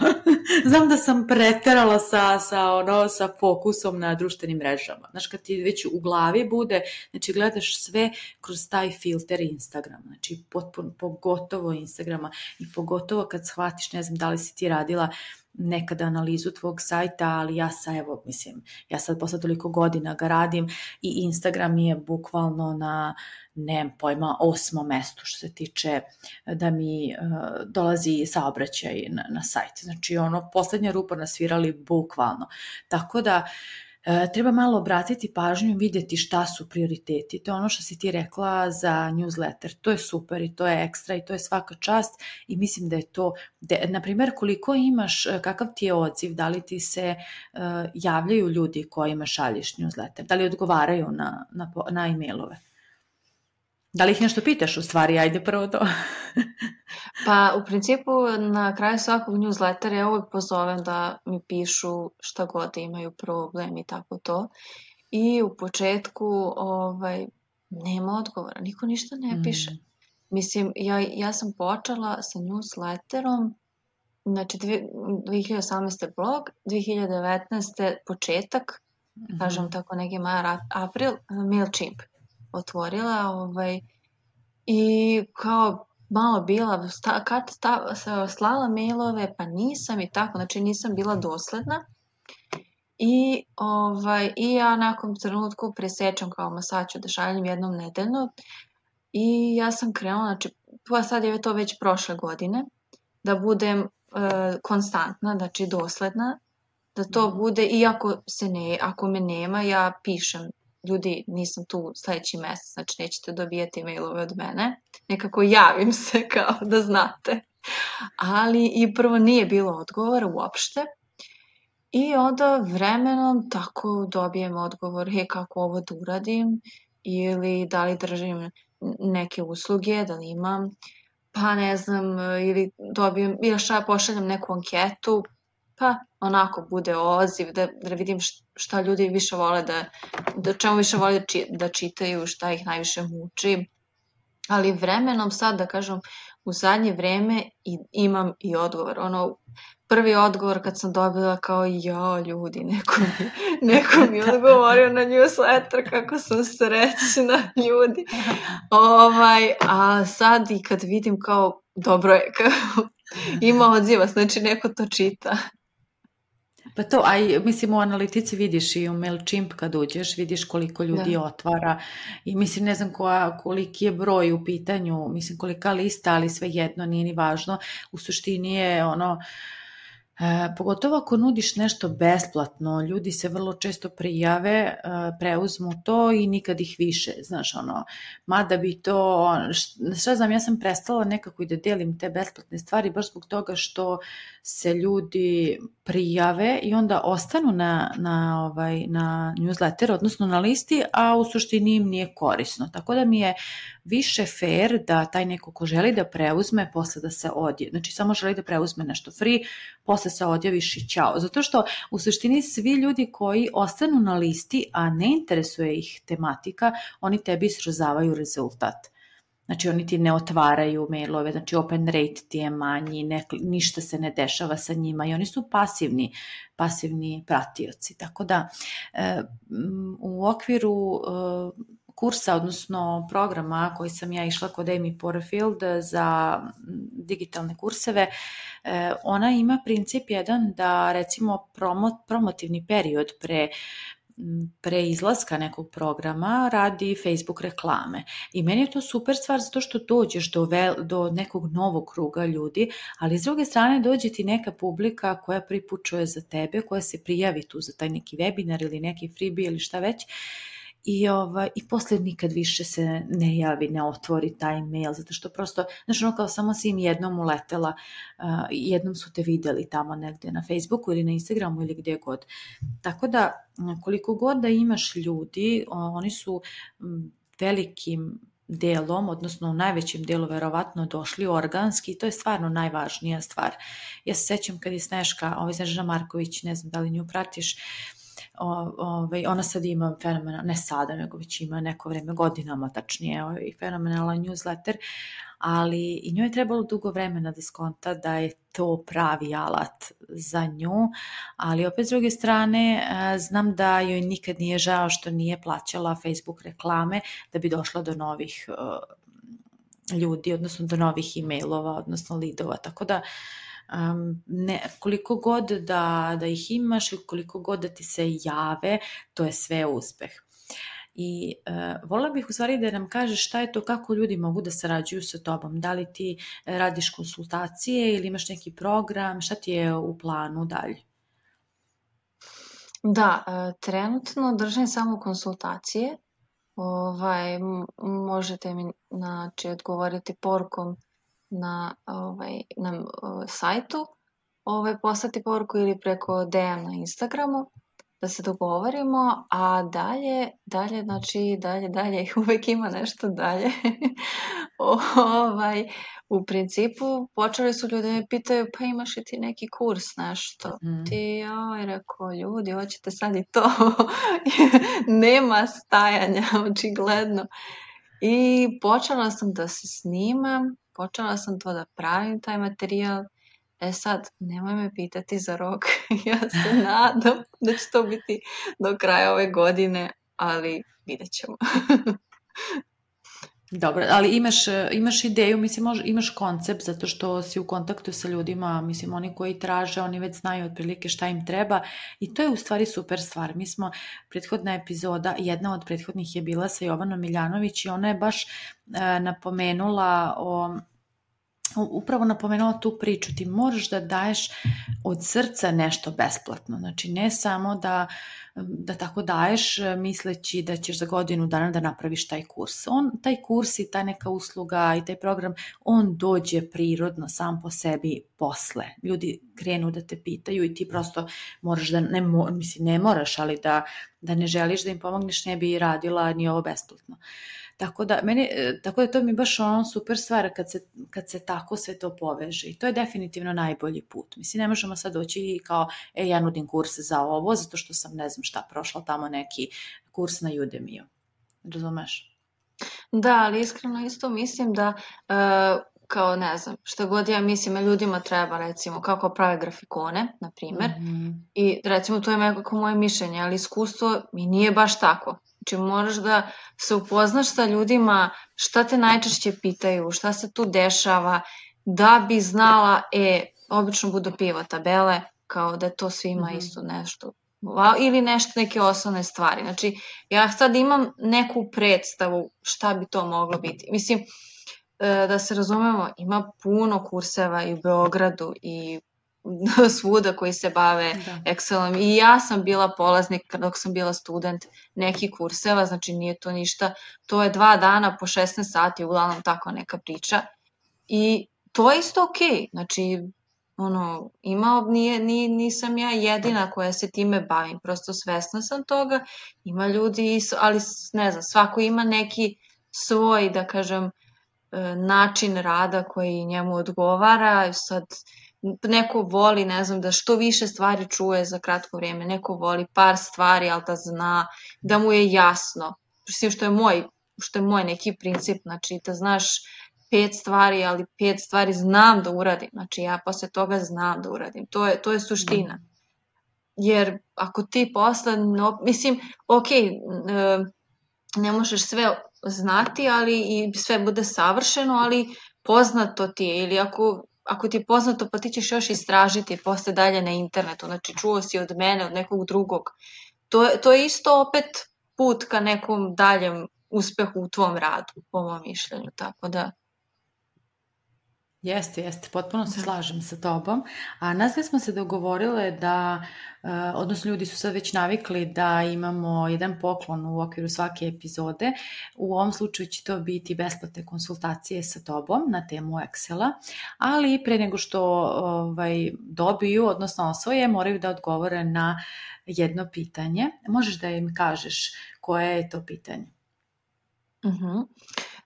znam da sam preterala sa, sa, ono, sa fokusom na društvenim mrežama. Znaš, kad ti već u glavi bude, znači gledaš sve kroz taj filter Instagram, znači potpuno, pogotovo Instagrama i pogotovo kad shvatiš, ne znam da li si ti radila nekada analizu tvog sajta, ali ja sa, evo, mislim, ja sad posle toliko godina ga radim i Instagram je bukvalno na, nemam pojma, osmom mestu što se tiče da mi uh, dolazi saobraćaj na, na sajt. Znači, ono, poslednja rupa nasvirali bukvalno. Tako da, E, treba malo obratiti pažnju i vidjeti šta su prioriteti. To je ono što si ti rekla za newsletter. To je super i to je ekstra i to je svaka čast i mislim da je to, de, na primjer, koliko imaš, kakav ti je odziv, da li ti se uh, javljaju ljudi kojima šalješ newsletter, da li odgovaraju na, na, na e-mailove? Da li ih nešto pitaš u stvari? Ajde prvo to. Pa u principu na kraju svakog newslettera ja uvijek pozovem da mi pišu šta god imaju problem i tako to. I u početku ovaj, nema odgovora, niko ništa ne piše. Mm. Mislim, ja, ja sam počela sa newsletterom, znači dve hiljade osamnaeste blog, dve hiljade devetnaeste početak, Mm-hmm. kažem tako neki mar, april, MailChimp otvorila, ovaj, i kao malo bila, sta, kad sta, slala mailove, pa nisam i tako, znači nisam bila dosledna. I, ovaj, i ja nakon trenutku presečem kao ma sad ću da šaljem jednom nedeljno. I ja sam krenula, znači, pa sad je to već prošle godine, da budem e, konstantna, znači dosledna, da to mm. bude, iako se ne, ako me nema, ja pišem, ljudi, nisam tu sledeći mesec, znači nećete dobijati mailove od mene, nekako javim se kao da znate. Ali i prvo nije bilo odgovora uopšte. I onda vremenom tako dobijem odgovor, he, kako ovo da uradim, ili da li držim neke usluge, da li imam, pa ne znam, ili dobijem, ili šta, pošaljem neku anketu, pa onako bude odziv, da, da vidim šta ljudi više vole da, da čemu više vole da, či, da čitaju, šta ih najviše muči. Ali vremenom sad, da kažem, u zadnje vreme i, imam i odgovor. Ono, prvi odgovor kad sam dobila kao, ja, ljudi, neko mi, neko mi odgovorio na newsletter, kako sam srećna, ljudi. Ovaj, a sad i kad vidim kao, dobro je, kao, ima odziva, znači neko to čita. Pa to, a i, mislim, u analitici vidiš i u MailChimp kad uđeš, vidiš koliko ljudi da. otvara i mislim, ne znam koja, koliki je broj u pitanju, mislim kolika lista, ali sve jedno, nije ni važno. U suštini je ono, E, pogotovo ako nudiš nešto besplatno, ljudi se vrlo često prijave, e, preuzmu to i nikad ih više, znaš, ono, mada bi to, šta znam, ja sam prestala nekako i da delim te besplatne stvari, baš zbog toga što se ljudi prijave i onda ostanu na, na, ovaj, na newsletter, odnosno na listi, a u suštini im nije korisno, tako da mi je više fair da taj neko ko želi da preuzme, posle da se odje, znači samo želi da preuzme nešto free, posle se odjaviš i ćao. Zato što u suštini svi ljudi koji ostanu na listi, a ne interesuje ih tematika, oni tebi srozavaju rezultat. Znači oni ti ne otvaraju mailove, znači open rate ti je manji, ne, ništa se ne dešava sa njima i oni su pasivni, pasivni pratioci. Tako da e, u okviru e, kursa, odnosno programa koji sam ja išla kod Amy Porterfield za digitalne kurseve, ona ima princip jedan da recimo promo, promotivni period pre pre izlaska nekog programa radi Facebook reklame. I meni je to super stvar zato što dođeš do, vel, do nekog novog kruga ljudi, ali s druge strane dođe ti neka publika koja pripučuje za tebe, koja se prijavi tu za taj neki webinar ili neki freebie ili šta već. I, ovaj, i posle nikad više se ne javi, ne otvori taj mail, zato što prosto, znači ono kao samo si im jednom uletela, uh, jednom su te videli tamo negde na Facebooku ili na Instagramu ili gdje god. Tako da koliko god da imaš ljudi, oni su velikim delom, odnosno u najvećem delu verovatno došli organski i to je stvarno najvažnija stvar. Ja se sećam kad je Sneška, ovaj Snežana Marković, ne znam da li nju pratiš, O, ovaj, ona sad ima fenomenal, ne sada, nego već ima neko vreme, godinama tačnije, ovaj, fenomenalan newsletter, ali i njoj je trebalo dugo vremena da skonta da je to pravi alat za nju, ali opet s druge strane znam da joj nikad nije žao što nije plaćala Facebook reklame da bi došla do novih uh, ljudi, odnosno do novih e-mailova, odnosno lidova, tako da Um, ne, koliko god da, da ih imaš i koliko god da ti se jave, to je sve uspeh. I uh, voljela bih u stvari da nam kažeš šta je to, kako ljudi mogu da sarađuju sa tobom, da li ti radiš konsultacije ili imaš neki program, šta ti je u planu dalje? Da, trenutno držim samo konsultacije, ovaj, možete mi znači, odgovoriti porukom na, ovaj, na uh, sajtu, ovaj, poslati poruku ili preko D M na Instagramu. da se dogovorimo, a dalje, dalje, znači, dalje, dalje, uvek ima nešto dalje. ovaj, u principu, počeli su ljudi me pitaju, pa imaš li ti neki kurs, nešto? Mm. Ti, joj, rekao, ljudi, hoćete sad i to? Nema stajanja, očigledno. I počela sam da se snimam, počela sam to da pravim, taj materijal. E sad, nemoj me pitati za rok, ja se nadam da će to biti do kraja ove godine, ali vidjet ćemo. Dobro, ali imaš, imaš ideju, mislim, mož, imaš koncept zato što si u kontaktu sa ljudima, mislim, oni koji traže, oni već znaju otprilike šta im treba i to je u stvari super stvar. Mi smo, prethodna epizoda, jedna od prethodnih je bila sa Jovanom Miljanović i ona je baš e, napomenula o... upravo napomenula tu priču, ti moraš da daješ od srca nešto besplatno, znači ne samo da, da tako daješ misleći da ćeš za godinu dana da napraviš taj kurs. On, taj kurs i ta neka usluga i taj program, on dođe prirodno sam po sebi posle. Ljudi krenu da te pitaju i ti prosto moraš da, ne, mislim, ne moraš, ali da, da ne želiš da im pomogneš, ne bi radila ni ovo besplatno. Tako da, meni, tako da to mi baš ono super stvar kad se, kad se tako sve to poveže i to je definitivno najbolji put. Mislim, ne možemo sad doći i kao, e, ja nudim kurs za ovo, zato što sam ne znam šta prošla tamo neki kurs na Udemy-u. Razumeš? Da, ali iskreno isto mislim da, uh, kao ne znam, šta god ja mislim, ljudima treba recimo kako prave grafikone, na primjer, mm-hmm. i recimo to je nekako moje mišljenje, ali iskustvo mi nije baš tako. Znači moraš da se upoznaš sa ljudima, šta te najčešće pitaju, šta se tu dešava, da bi znala, e, obično budu pivo tabele, kao da to svima mm-hmm. isto nešto, ili nešto, neke osnovne stvari. Znači ja sad imam neku predstavu šta bi to moglo biti. Mislim, da se razumemo, ima puno kurseva i u Beogradu i svuda koji se bave da. Excelom. I ja sam bila polaznik dok sam bila student nekih kurseva, znači nije to ništa. To je dva dana po šesnaest sati, uglavnom tako neka priča. I to je isto okej. Okay. Znači, ono, ima, nije, nije, nisam ja jedina koja se time bavim. Prosto svesna sam toga. Ima ljudi, ali ne znam, svako ima neki svoj, da kažem, način rada koji njemu odgovara. Sad neko voli, ne znam, da što više stvari čuje za kratko vrijeme, neko voli par stvari, ali da zna, da mu je jasno. Mislim, što je moj, što je moj neki princip, znači da znaš pet stvari, ali pet stvari znam da uradim, znači ja posle toga znam da uradim, to je, to je suština. Jer ako ti posle, no, mislim, ok, ne možeš sve znati, ali i sve bude savršeno, ali poznato ti je, ili ako, ako ti je poznato, pa ti ćeš još istražiti posle dalje na internetu, znači čuo si od mene, od nekog drugog. To, to je isto opet put ka nekom daljem uspehu u tvom radu, po mom mišljenju, tako da... Jeste, jeste, potpuno se slažem sa tobom, a nas smo se dogovorile da, odnosno ljudi su sad već navikli da imamo jedan poklon u okviru svake epizode, u ovom slučaju će to biti besplatne konsultacije sa tobom na temu Excela, ali pre nego što ovaj, dobiju, odnosno osvoje, moraju da odgovore na jedno pitanje. Možeš da im kažeš koje je to pitanje? Mhm.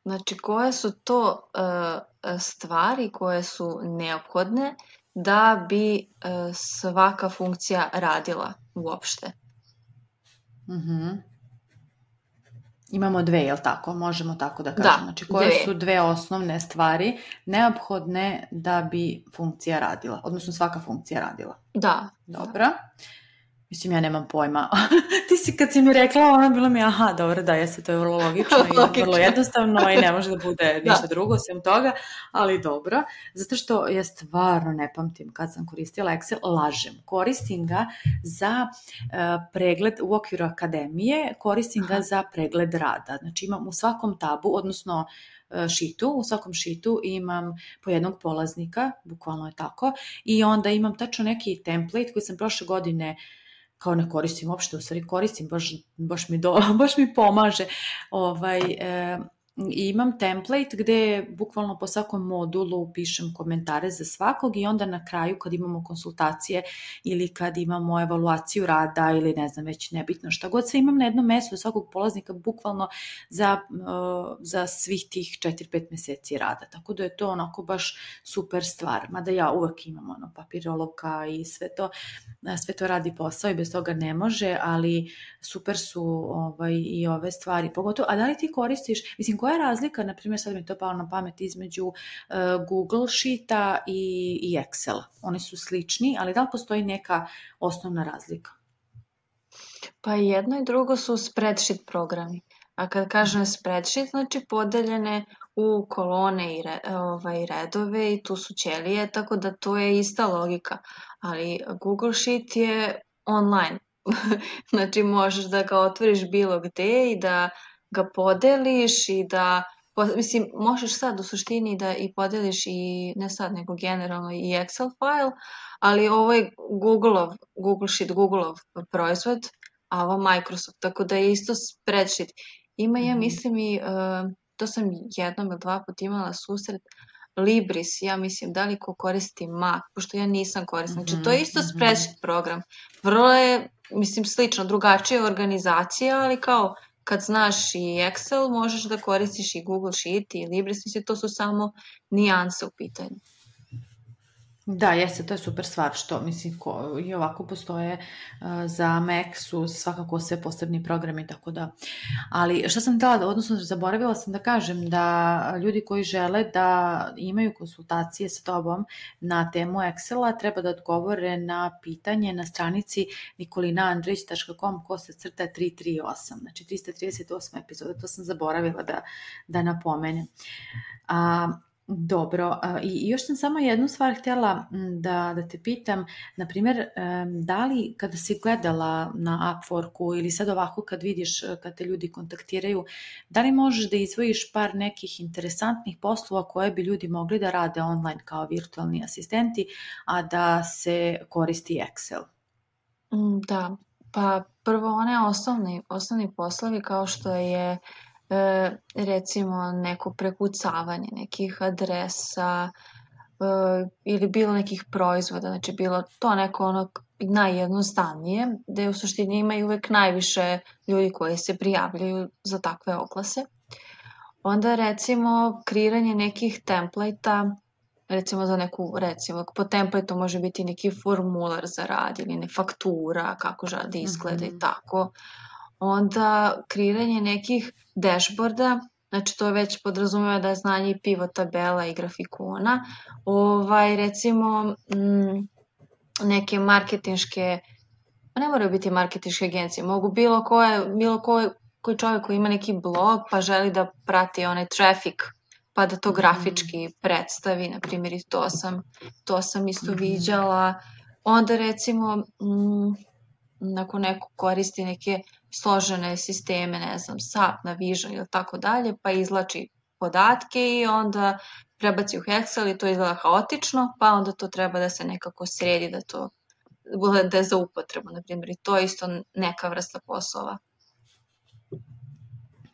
Znači, koje su to uh, stvari koje su neophodne da bi uh, svaka funkcija radila uopšte? Mm-hmm. Imamo dve, jel tako? Možemo tako da kažemo. Da, znači, koje dve. su dve osnovne stvari neophodne da bi funkcija radila, odnosno svaka funkcija radila? Da. Dobro. Mislim, ja nemam pojma. Ti si, kad si mi rekla, ono bilo mi, aha, dobro, da, jeste, to je vrlo logično i vrlo jednostavno i ne može da bude ništa da. drugo osim toga, ali dobro. Zato što ja stvarno ne pamtim kad sam koristila Excel, lažem. Koristim ga za uh, pregled u okviru akademije, koristim aha. ga za pregled rada. Znači, imam u svakom tabu, odnosno šitu, u svakom šitu imam po jednog polaznika, bukvalno je tako, i onda imam tačno neki template koji sam prošle godine kao ne koristim uopšte, u stvari koristim, baš, baš, mi, do, baš mi pomaže. Ovaj, e, i imam template gde bukvalno po svakom modulu pišem komentare za svakog i onda na kraju kad imamo konsultacije ili kad imamo evaluaciju rada ili ne znam već nebitno šta god, sve imam na jednom mestu svakog polaznika bukvalno za, uh, za svih tih četiri pet meseci rada. Tako da je to onako baš super stvar. Mada ja uvek imam ono papirolovka i sve to, sve to radi posao i bez toga ne može, ali super su ovaj, i ove stvari. Pogotovo, a da li ti koristiš, mislim, koja je razlika, na primjer, sad mi je to palo na pamet, između uh, Google Sheeta i, i Excela? Oni su slični, ali da li postoji neka osnovna razlika? Pa jedno i drugo su spreadsheet programi. A kad kažem spreadsheet, znači podeljene u kolone i re, ovaj, redove i tu su ćelije, tako da to je ista logika. Ali Google Sheet je online. Znači možeš da ga otvoriš bilo gde i da ga podeliš i da, mislim, možeš sad u suštini da i podeliš i, ne sad, nego generalno i Excel file, ali ovo je Googleov, Google Sheet, Googleov proizvod, a ovo Microsoft, tako da je isto spreadsheet. Ima, ja mislim i, uh, to sam jednom ili dva put imala susret, Libris, ja mislim, da li ko koristi Mac, pošto ja nisam koristim. Znači, to je isto spreadsheet program. Vrlo je, mislim, slično, drugačija organizacija, ali kao kad znaš i Excel, možeš da koristiš i Google Sheet i Libris, mislim, to su samo nijanse u pitanju. Da, jeste, to je super stvar što, mislim, ko, i ovako postoje uh, za Mac su svakako sve posebni programi, tako da, ali šta sam htjela da, odnosno zaboravila sam da kažem da ljudi koji žele da imaju konsultacije sa tobom na temu Excela treba da odgovore na pitanje na stranici nikolina andrić tačka com kosa crta tri tri osam, znači trista trideset osma epizoda, to sam zaboravila da, da napomenem. A, Dobro, i još sam samo jednu stvar htjela da, da te pitam, na primjer, da li kada si gledala na Upworku ili sad ovako kad vidiš kad te ljudi kontaktiraju, da li možeš da izdvojiš par nekih interesantnih poslova koje bi ljudi mogli da rade online kao virtualni asistenti, a da se koristi Excel? Da, pa prvo one osnovni, osnovni poslovi kao što je E, recimo neko prekucavanje nekih adresa e, ili bilo nekih proizvoda, znači bilo to neko ono najjednostavnije, gde u suštini imaju uvek najviše ljudi koji se prijavljaju za takve oglase. Onda recimo kreiranje nekih template-a, recimo za neku, recimo po template-u može biti neki formular za rad ili ne faktura, kako želi izgleda mm-hmm. i tako. Onda kreiranje nekih dashboarda, znači to već podrazumeva da je znanje i pivot tabela i grafikona. Ovaj, recimo m, neke marketinške, ne moraju biti marketinške agencije, mogu bilo koje, bilo koje, koji čovjek koji ima neki blog pa želi da prati onaj traffic pa da to grafički predstavi, na primjer i to sam, to sam isto mm-hmm. viđala. Onda recimo m, ako neko koristi neke složene sisteme, ne znam, SAP, Navision ili tako dalje, pa izlači podatke i onda prebaci u Excel i to izgleda haotično, pa onda to treba da se nekako sredi, da to bude za upotrebu, na primjer, i to je isto neka vrsta poslova.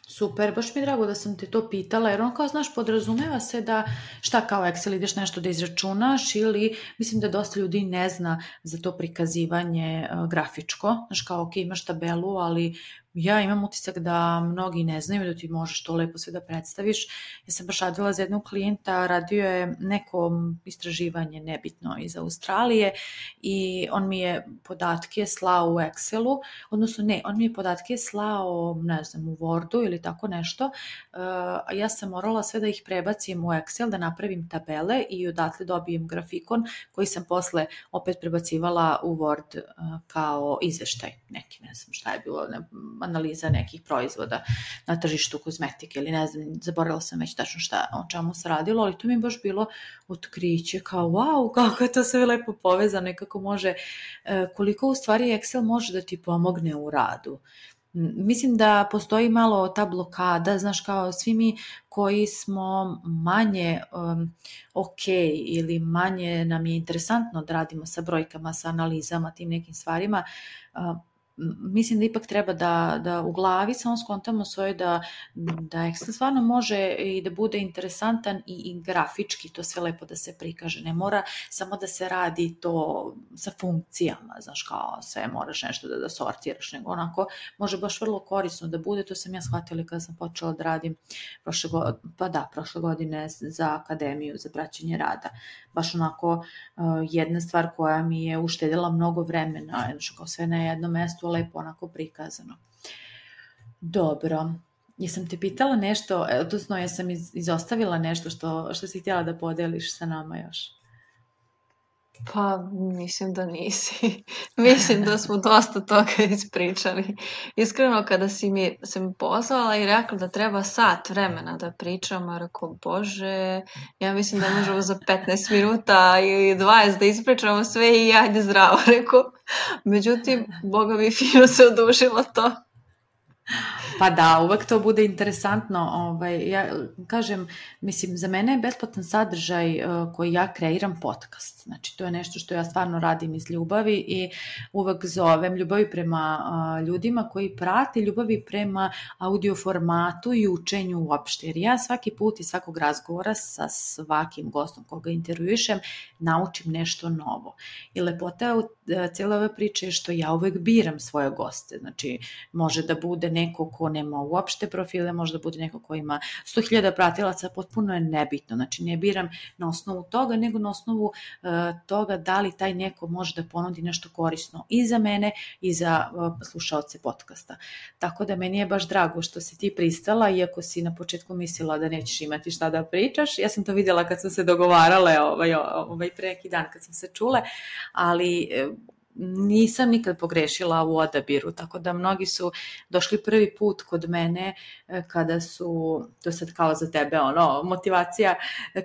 Super, baš mi je drago da sam te to pitala, jer ono kao, znaš, podrazumeva se da šta kao Excel ideš nešto da izračunaš ili mislim da dosta ljudi ne zna za to prikazivanje uh, grafičko, znaš kao, ok, imaš tabelu, ali ja imam utisak da mnogi ne znaju da ti možeš to lepo sve da predstaviš. Ja sam baš radila za jednog klijenta, radio je neko istraživanje nebitno iz Australije i on mi je podatke slao u Excelu, odnosno ne, on mi je podatke slao, ne znam, u Wordu ili tako nešto, a ja sam morala sve da ih prebacim u Excel, da napravim tabele i odatle dobijem grafikon koji sam posle opet prebacivala u Word kao izveštaj neki, ne znam šta je bilo, ne, analiza nekih proizvoda na tržištu kozmetike ili ne znam, zaboravila sam već tačno šta, o čemu se radilo, ali to mi je baš bilo otkriće, kao wow, kako je to sve lepo povezano i kako može, koliko u stvari Excel može da ti pomogne u radu. Mislim da postoji malo ta blokada, znaš, kao svi mi koji smo manje um, ok ili manje nam je interesantno da radimo sa brojkama, sa analizama, tim nekim stvarima, uh, mislim da ipak treba da, da u glavi samo skontamo svoje da, da Excel stvarno može i da bude interesantan i, i grafički to sve lepo da se prikaže. Ne mora samo da se radi to sa funkcijama, znaš, kao sve moraš nešto da, da sortiraš, nego onako može baš vrlo korisno da bude. To sam ja shvatila kada sam počela da radim prošle godine, pa da, prošle godine za akademiju za praćenje rada. Baš onako uh, jedna stvar koja mi je uštedila mnogo vremena, znači kao sve na jednom mestu, lepo onako prikazano. Dobro, jesam te pitala nešto, odnosno jesam iz, izostavila nešto što, što si htjela da podeliš sa nama još? Pa, mislim da nisi. Mislim da smo dosta toga ispričali. Iskreno, kada si mi, se mi pozvala i rekla da treba sat vremena da pričam, a rekao, bože, ja mislim da možemo za petnaest minuta ili dvadeset da ispričamo sve i ajde zdravo, rekao. Međutim, Boga mi fino se odužilo to. Pa da, uvek to bude interesantno. Ovaj, ja kažem, mislim, za mene je besplatan sadržaj uh, koji ja kreiram podcast. Znači, to je nešto što ja stvarno radim iz ljubavi i uvek zovem ljubavi prema uh, ljudima koji prate, ljubavi prema audio formatu i učenju uopšte. Jer ja svaki put i svakog razgovora sa svakim gostom koga intervjuišem naučim nešto novo. I lepota u cijele ove priče je što ja uvek biram svoje goste. Znači, može da bude neko ko nema uopšte profile, može da bude neko ko ima sto hiljada pratilaca, potpuno je nebitno. Znači, ne biram na osnovu toga, nego na osnovu uh, toga da li taj neko može da ponudi nešto korisno i za mene i za uh, slušaoce podcasta. Tako da meni je baš drago što si ti pristala, iako si na početku mislila da nećeš imati šta da pričaš. Ja sam to vidjela kad sam se dogovarale ovaj, ovaj pre neki dan kad sam se čule, ali nisam nikad pogrešila u odabiru, tako da mnogi su došli prvi put kod mene kada su, to sad kao za tebe ono, motivacija,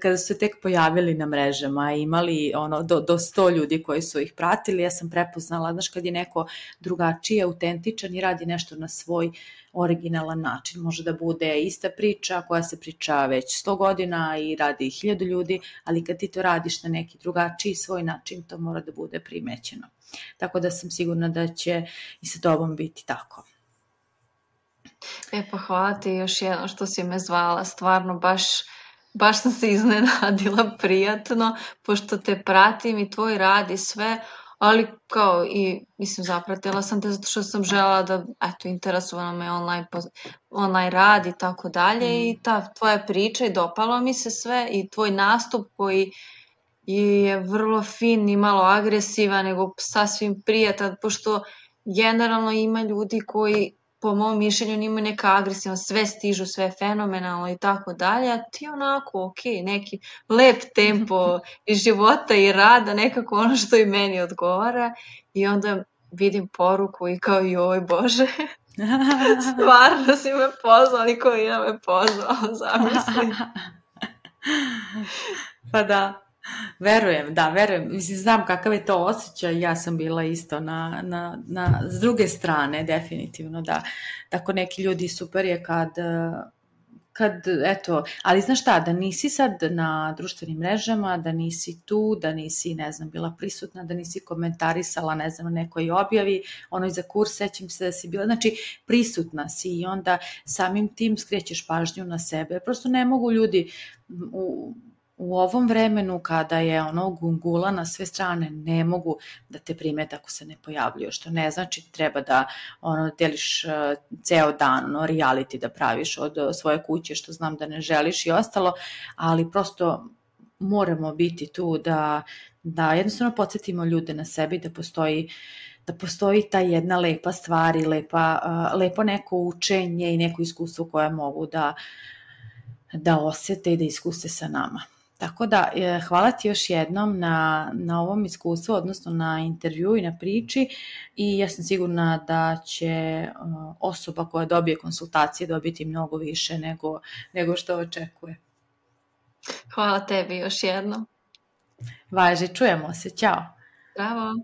kada su se tek pojavili na mrežama i imali ono, do, do sto ljudi koji su ih pratili. Ja sam prepoznala, znaš, kad je neko drugačiji, autentičan i radi nešto na svoj originalan način. Može da bude ista priča koja se priča već sto godina i radi hiljadu ljudi, ali kad ti to radiš na neki drugačiji svoj način, to mora da bude primećeno. Tako da sam sigurna da će i sa tobom biti tako. E pa hvala ti još jedno što si me zvala, stvarno baš, baš sam se iznenadila prijatno, pošto te pratim i tvoj rad i sve, ali kao i, mislim, zapratila sam te zato što sam žela da, eto, interesovana me online, online rad i tako dalje i ta tvoja priča i dopalo mi se sve i tvoj nastup koji je vrlo fin i malo agresivan, nego sasvim prijatan, pošto generalno ima ljudi koji po mom mišljenju nimaju neka agresivna, sve stižu, sve fenomenalno i tako dalje, a ti onako, ok, neki lep tempo i života i rada, nekako ono što i meni odgovara i onda vidim poruku i kao joj Bože, stvarno si me pozvao, niko je me pozvao, zamisli. Pa da. Verujem, da, verujem. Mislim, znam kakav je to osjećaj, ja sam bila isto na, na, na, s druge strane, definitivno, da. Tako neki ljudi super je kad, kad, eto, ali znaš šta, da nisi sad na društvenim mrežama, da nisi tu, da nisi, ne znam, bila prisutna, da nisi komentarisala, ne znam, nekoj objavi, ono iza kurs, sećam se da si bila, znači, prisutna si i onda samim tim skrećeš pažnju na sebe. Prosto ne mogu ljudi u u ovom vremenu kada je ono gungula na sve strane, ne mogu da te primete ako se ne pojavljuje, što ne znači treba da ono deliš uh, ceo dan, ono reality da praviš od uh, svoje kuće, što znam da ne želiš i ostalo, ali prosto moramo biti tu da, da jednostavno podsjetimo ljude na sebi da postoji da postoji ta jedna lepa stvar i lepa, uh, lepo neko učenje i neko iskustvo koje mogu da, da osjete i da iskuse sa nama. Tako da, hvala ti još jednom na, na ovom iskustvu, odnosno na intervju i na priči i ja sam sigurna da će osoba koja dobije konsultacije dobiti mnogo više nego, nego što očekuje. Hvala tebi još jednom. Važi, čujemo se, ćao. Bravo.